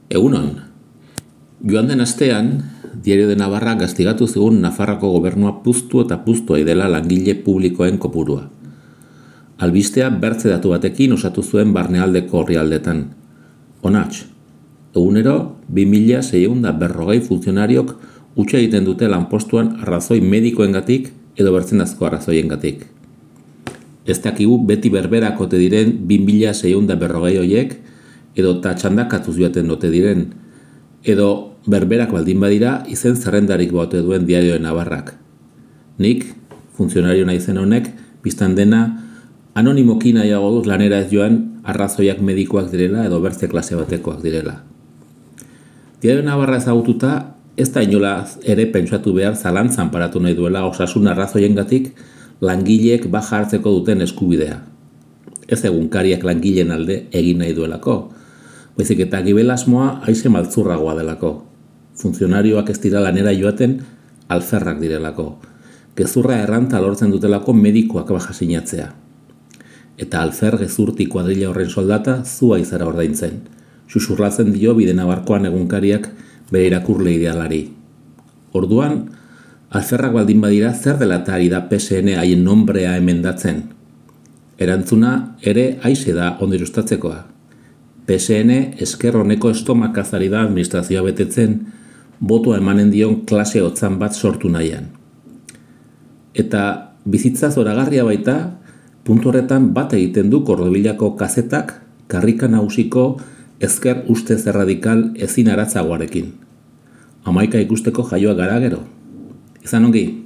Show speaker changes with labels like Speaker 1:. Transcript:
Speaker 1: Egunon, joan den astean, Diario de Navarra gastigatu zigun Nafarroko gobernua puztu eta puztu dela langile publikoen kopurua. Albistea bertze datu batekin osatu zuen barnealdeko orrialdetan. Onats, egunero 2640 funtzionariok utxe egiten dute lanpostuan arrazoi medikoengatik edo bertzenazko arrazoiengatik. Ez dakigu beti berberak ote diren 2640 horiek, edo txandakatuz joaten dote diren, edo berberak baldin badira izen zerrendarik baute duen Diario de Navarrak. Nik, funtzionario naizen honek, biztan dena, anonimoki nahiago duz lanera ez joan arrazoiak medikoak direla edo bertze klase batekoak direla. Diario de Navarra ezagututa, ez da inolaz ere pentsatu behar zalantzan paratu nahi duela osasun arrazoiengatik langileek baja hartzeko duten eskubidea. Ez egunkariak langileen alde egin nahi duelako, baizik eta gibelasmoa haize maltzurragoa delako. Funtzionarioak ez dira lanera joaten alferrak direlako. Gezurra erranta lortzen dutelako medikoak baja sinatzea. Eta alfer gezurti kuadrilla horren soldata zua izara ordaintzen. Xuxurlatzen dio Bidenabarkoan egunkariak bere irakurle idealari. Orduan, alferrak baldin badira zer dela eta ari da PSN haien nombrea emendatzen. Erantzuna ere haize da ondo ilustatzekoa. PSN esker honeko estomakazari da administrazioa betetzen, botoa emanen dion klase hotzan bat sortu nahian. Eta bizitza zoragarria baita, puntu horretan bat egiten du Kordobilako kazetak karrika nagusiko ezker ustez erradikal ezin aratzagoarekin. 11 ikusteko jaioa gara gero. Izan ongi.